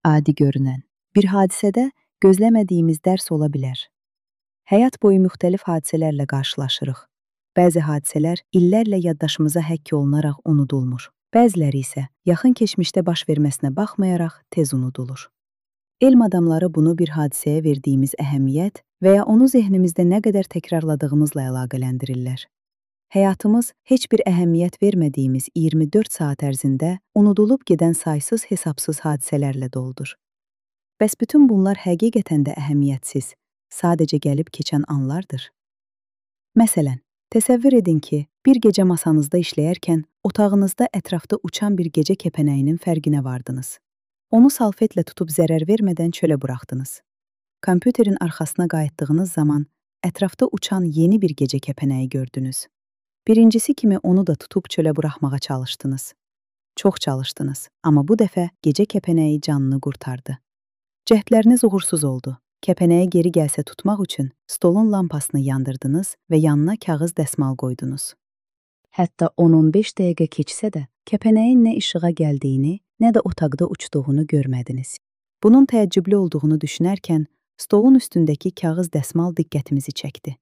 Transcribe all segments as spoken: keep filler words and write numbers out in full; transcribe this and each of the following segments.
adi görünən bir hadisədə gözləmədiyimiz dərs ola bilər. Həyat boyu müxtəlif hadisələrlə qarşılaşırıq. Bəzi hadisələr illərlə yaddaşımıza həkk olunaraq unudulmur. Bəziləri isə yaxın keçmişdə baş verməsinə baxmayaraq tez unudulur. Elm adamları bunu bir hadisəyə verdiyimiz əhəmiyyət və ya onu zehnimizdə nə qədər təkrarladığımızla əlaqələndirirlər. Həyatımız heç bir əhəmiyyət vermədiyimiz iyirmi dörd saat ərzində unudulub gedən saysız hesabsız hadisələrlə doldur. Bəs bütün bunlar həqiqətən də əhəmiyyətsiz, sadəcə gəlib keçən anlardır. Məsələn, təsəvvür edin ki, bir gecə masanızda işləyərkən otağınızda ətrafda uçan bir gecə kəpənəyinin fərqinə vardınız. Onu salfetlə tutub zərər vermədən çölə buraxdınız. Kompüterin arxasına qayıtdığınız zaman ətrafda uçan yeni bir gecə kəpənəyi gördünüz. Birincisi kimi onu da tutub çölə buraxmağa çalışdınız. Çox çalışdınız, amma bu dəfə gecə kəpənəyi canını qurtardı. Cəhdləriniz uğursuz oldu. Kəpənəyə geri gəlsə tutmaq üçün stolun lampasını yandırdınız və yanına kağız dəsmal qoydunuz. Hətta on on beş dəqiqə keçsə də, kəpənəyin nə işığa gəldiyini, nə də otaqda uçduğunu görmədiniz. Bunun təəccüblü olduğunu düşünərkən, stolun üstündəki kağız dəsmal diqqətimizi çəkdi.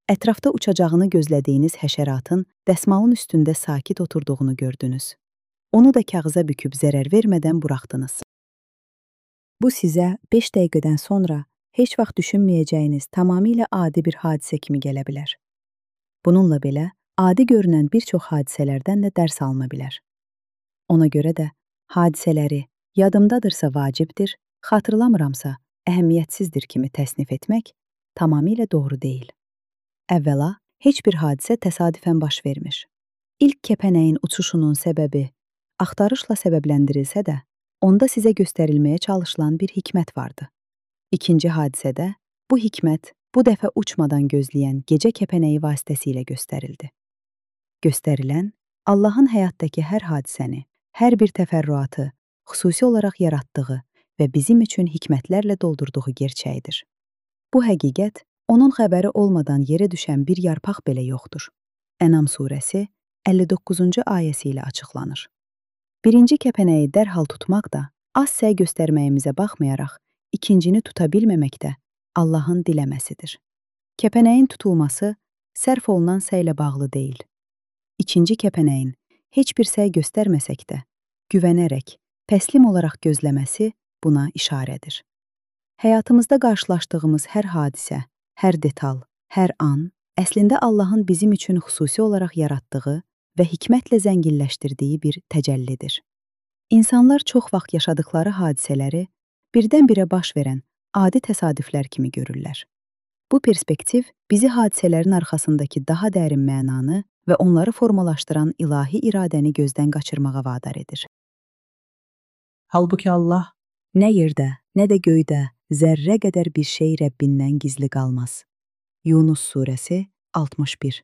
Ətrafda uçacağını gözlədiyiniz həşəratın dəsmalın üstündə sakit oturduğunu gördünüz. Onu da kağıza büküb zərər vermədən buraxdınız. Bu sizə beş dəqiqədən sonra heç vaxt düşünməyəcəyiniz tamamilə adi bir hadisə kimi gələ bilər. Bununla belə, adi görünən bir çox hadisələrdən də dərs alına bilər. Ona görə də hadisələri yadımdadırsa vacibdir, xatırlamıramsa əhəmiyyətsizdir kimi təsnif etmək tamamilə doğru deyil. Əvvəla, heç bir hadisə təsadüfən baş vermir. İlk kəpənəyin uçuşunun səbəbi axtarışla səbəbləndirilsə də, onda sizə göstərilməyə çalışılan bir hikmət vardı. İkinci hadisədə bu hikmət bu dəfə uçmadan gözləyən gecə kəpənəyi vasitəsilə göstərildi. Göstərilən, Allahın həyatdakı hər hadisəni, hər bir təfərrüatı xüsusi olaraq yaratdığı və bizim üçün hikmətlərlə doldurduğu gerçəyidir. Bu həqiqət, onun xəbəri olmadan yerə düşən bir yarpaq belə yoxdur. Ənam surəsi əlli doqquzuncu ayəsi ilə açıqlanır. Birinci kəpənəyi dərhal tutmaq da, az səy göstərməyimizə baxmayaraq, ikincini tuta bilməmək də Allahın diləməsidir. Kəpənəyin tutulması sərf olunan səylə bağlı deyil. İkinci kəpənəyin heç bir səy göstərməsək də, güvənərək, təslim olaraq gözləməsi buna işarədir. Həyatımızda qarşılaşdığımız hər hadisə, hər detal, hər an, əslində Allahın bizim üçün xüsusi olaraq yaratdığı və hikmətlə zənginləşdirdiyi bir təcəllidir. İnsanlar çox vaxt yaşadıkları hadisələri birdən-birə baş verən adi təsadüflər kimi görürlər. Bu perspektiv bizi hadisələrin arxasındakı daha dərin mənanı və onları formalaşdıran ilahi iradəni gözdən qaçırmağa vadar edir. Halbuki Allah nə yerdə, nə də göydə zərrə qədər bir şey Rəbbindən gizli qalmaz. Yunus surəsi altmış bir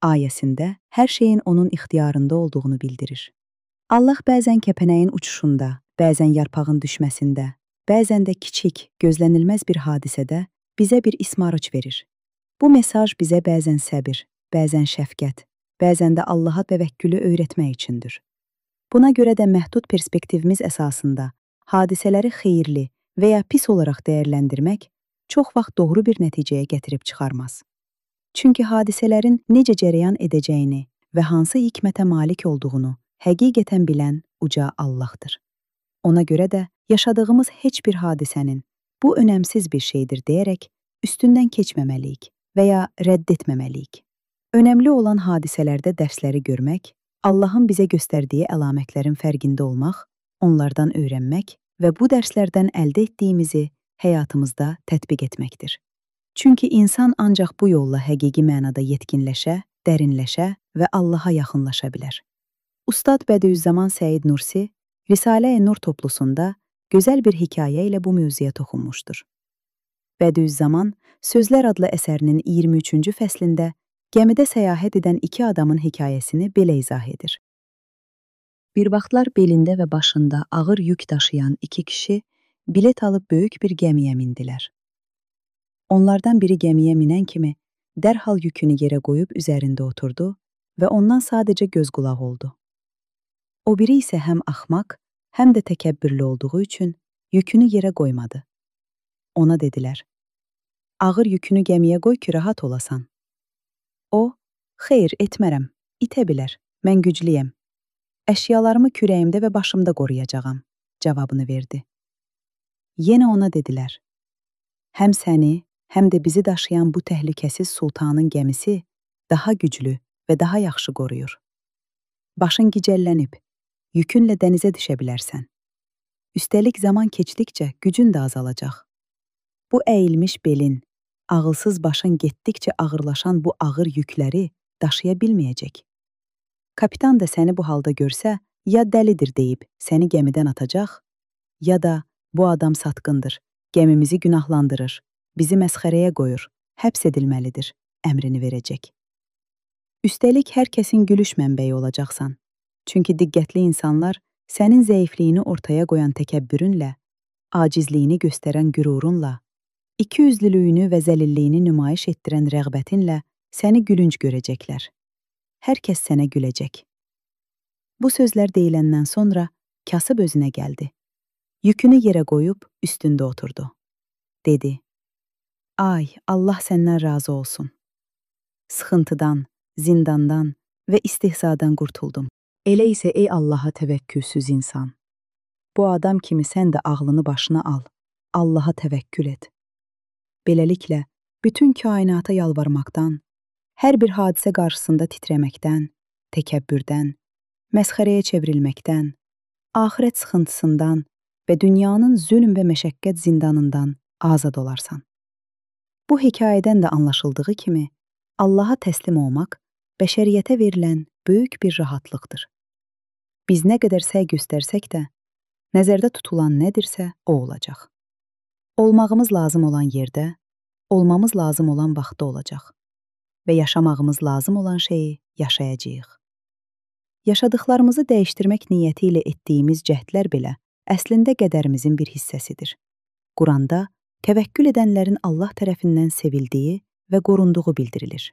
ayəsində hər şeyin onun ixtiyarında olduğunu bildirir. Allah bəzən kəpənəyin uçuşunda, bəzən yarpağın düşməsində, bəzən də kiçik, gözlənilməz bir hadisədə bizə bir ismarıc verir. Bu mesaj bizə bəzən səbir, bəzən şəfqət, bəzən də Allaha təvəkkülü öyrətmək üçündür. Buna görə də məhdud perspektivimiz əsasında hadisələri xeyirli və ya pis olaraq dəyərləndirmək çox vaxt doğru bir nəticəyə gətirib çıxarmaz. Çünki hadisələrin necə cərəyan edəcəyini və hansı hikmətə malik olduğunu həqiqətən bilən uca Allahdır. Ona görə də yaşadığımız heç bir hadisənin bu önəmsiz bir şeydir deyərək üstündən keçməməliyik və ya rədd etməməliyik. Önəmli olan hadisələrdə dərsləri görmək, Allahın bizə göstərdiyi əlamətlərin fərqində olmaq, onlardan öyrənmək və bu dərslərdən əldə etdiyimizi həyatımızda tətbiq etməkdir. Çünki insan ancaq bu yolla həqiqi mənada yetkinləşə, dərinləşə və Allaha yaxınlaşa bilər. Ustad Bədüzzaman Səid Nursi Risalə-i Nur toplusunda gözəl bir hekayə ilə bu mövzuya toxunmuşdur. Bədüzzaman Sözlər adlı əsərinin iyirmi üçüncü fəslində gəmidə səyahət edən iki adamın hekayəsini belə izah edir. Bir vaxtlar belində və başında ağır yük daşıyan iki kişi bilet alıb böyük bir gəmiyə mindilər. Onlardan biri gəmiyə minən kimi dərhal yükünü yerə qoyub üzərində oturdu və ondan sadəcə göz qulaq oldu. O biri isə həm axmaq, həm də təkəbbürlü olduğu üçün yükünü yerə qoymadı. Ona dedilər, ağır yükünü gəmiyə qoy ki, rahat olasan. O, xeyr, etmərəm, itə bilər, mən güclüyəm. Əşyalarımı kürəyimdə və başımda qoruyacağam, cavabını verdi. Yenə ona dedilər, həm səni, həm də bizi daşıyan bu təhlükəsiz sultanın gəmisi daha güclü və daha yaxşı qoruyur. Başın gicəllənib, yükünlə dənizə düşə bilərsən. Üstəlik zaman keçdikcə gücün də azalacaq. Bu əyilmiş belin, ağılsız başın getdikcə ağırlaşan bu ağır yükləri daşıya bilməyəcək. Kapitan da səni bu halda görsə, ya dəlidir deyib səni gəmidən atacaq, ya da bu adam satqındır, gəmimizi günahlandırır, bizi məsxərəyə qoyur, həbs edilməlidir, əmrini verəcək. Üstəlik hər kəsin gülüş mənbəyi olacaqsan. Çünki diqqətli insanlar sənin zəifliyini ortaya qoyan təkəbbürünlə, acizliyini göstərən qürurunla, ikiyüzlülüyünü və zəlilliyini nümayiş etdirən rəğbətinlə səni gülünc görəcəklər. Hər kəs sənə güləcək. Bu sözlər deyiləndən sonra kasıb özünə gəldi. Yükünü yerə qoyub üstündə oturdu. Dedi, ay, Allah səndən razı olsun. Sıxıntıdan, zindandan və istihzadan qurtuldum. Elə isə ey Allaha təvəkkülsüz insan. Bu adam kimi sən də ağlını başına al, Allaha təvəkkül et. Beləliklə, bütün kainata yalvarmaqdan, hər bir hadisə qarşısında titrəməkdən, təkəbbürdən, məsxərəyə çevrilməkdən, axirət sıxıntısından və dünyanın zülm və məşəqqət zindanından azad olarsan. Bu hekayədən də anlaşıldığı kimi, Allaha təslim olmaq bəşəriyyətə verilən böyük bir rahatlıqdır. Biz nə qədər səy göstərsək də, nəzərdə tutulan nədirsə, o olacaq. Olmağımız lazım olan yerdə, olmamız lazım olan vaxtda olacaq və yaşamağımız lazım olan şeyi yaşayacağıq. Yaşadıqlarımızı dəyişdirmək niyyəti ilə etdiyimiz cəhdlər belə əslində qədərimizin bir hissəsidir. Quranda təvəkkül edənlərin Allah tərəfindən sevildiyi və qorunduğu bildirilir.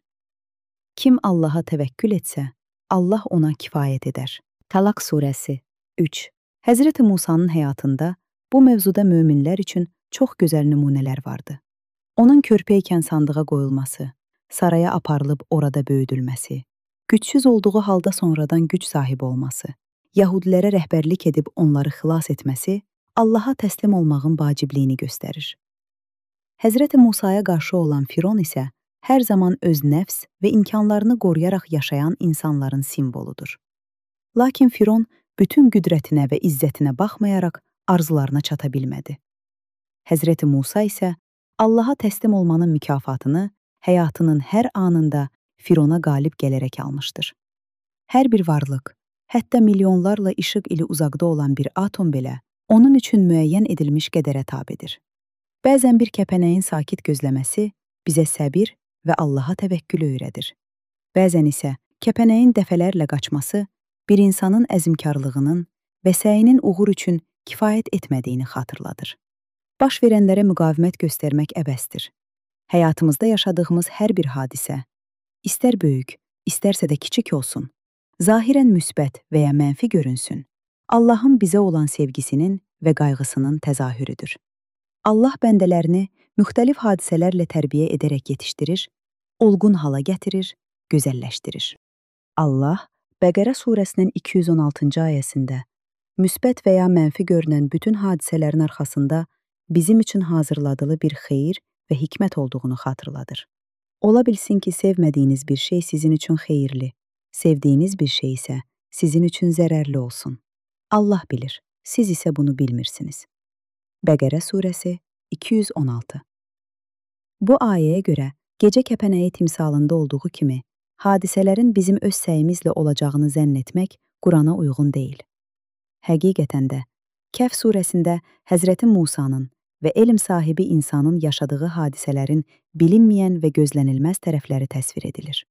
Kim Allaha təvəkkül etsə, Allah ona kifayət edər. Talaq surəsi üç. Həzrəti Musanın həyatında bu mövzuda möminlər üçün çox gözəl nümunələr vardı. Onun körpəykən sandığa qoyulması, saraya aparılıb orada böyüdülməsi, gücsüz olduğu halda sonradan güc sahibi olması, Yahudilərə rəhbərlik edib onları xilas etməsi Allaha təslim olmağın vacibliyini göstərir. Həzrəti Musaya qarşı olan Firon isə hər zaman öz nəfs və imkanlarını qoruyaraq yaşayan insanların simvoludur. Lakin Firon bütün qüdrətinə və izzətinə baxmayaraq arzularına çata bilmədi. Həzrəti Musa isə Allaha təslim olmanın mükafatını həyatının hər anında Firona qalib gələrək almışdır. Hər bir varlıq, hətta milyonlarla işıq ili uzaqda olan bir atom belə onun üçün müəyyən edilmiş qədərə tabedir. Bəzən bir kəpənəyin sakit gözləməsi bizə səbir və Allaha təvəkkülü öyrədir. Bəzən isə kəpənəyin dəfələrlə qaçması bir insanın əzmkarlığının və səyinin uğur üçün kifayət etmədiyini xatırladır. Baş verənlərə müqavimət göstərmək əbəsdir. Həyatımızda yaşadığımız hər bir hadisə, istər böyük, istərsə də kiçik olsun, zahirən müsbət və ya mənfi görünsün, Allahın bizə olan sevgisinin və qayğısının təzahürüdür. Allah bəndələrini müxtəlif hadisələrlə tərbiyə edərək yetişdirir, olğun hala gətirir, gözəlləşdirir. Allah, Bəqərə surəsinin iki yüz on altıncı ayəsində müsbət və ya mənfi görünən bütün hadisələrin arxasında bizim üçün hazırladığı bir xeyir və hikmət olduğunu xatırladır. Ola bilsin ki, sevmədiyiniz bir şey sizin üçün xeyirli, sevdiyiniz bir şey isə sizin üçün zərərli olsun. Allah bilir, siz isə bunu bilmirsiniz. Bəqərə surəsi iki yüz on altı. Bu ayəyə görə gecə kəpənəyi timsalında olduğu kimi, hadisələrin bizim öz səyimizlə olacağını zənn etmək Qurana uyğun deyil. Həqiqətən də, Kəhf surəsində Həzrəti Musanın və elm sahibi insanın yaşadığı hadisələrin bilinməyən və gözlənilməz tərəfləri təsvir edilir.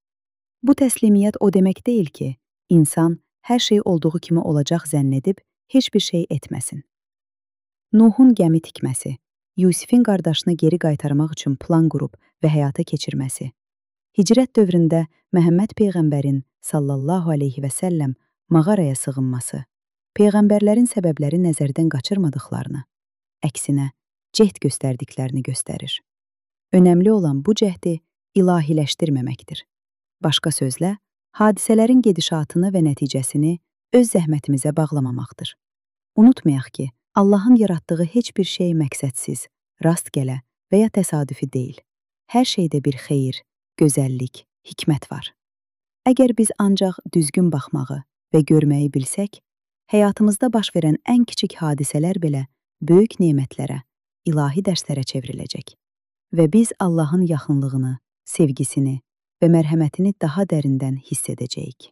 Bu təslimiyyət o demək deyil ki, insan hər şey olduğu kimi olacaq zənn edib, heç bir şey etməsin. Nuhun gəmi tikməsi, Yusifin qardaşını geri qaytarmaq üçün plan qurub və həyata keçirməsi, Hicrət dövründə Məhəmməd Peyğəmbərin sallallahu aleyhi və səlləm mağaraya sığınması, Peyğəmbərlərin səbəbləri nəzərdən qaçırmadıqlarını, əksinə, cəhd göstərdiklərini göstərir. Önəmli olan bu cəhdi ilahiləşdirməməkdir. Başqa sözlə, hadisələrin gedişatını və nəticəsini öz zəhmətimizə bağlamamaqdır. Unutmayaq ki, Allahın yaratdığı heç bir şey məqsədsiz, rastgələ və ya təsadüfi deyil. Hər şeydə bir xeyir, gözəllik, hikmət var. Əgər biz ancaq düzgün baxmağı və görməyi bilsək, həyatımızda baş verən ən kiçik hadisələr belə böyük nemətlərə, ilahi dərslərə çevriləcək. Və biz Allahın yaxınlığını, sevgisini və mərhəmətini daha dərindən hiss edəcəyik.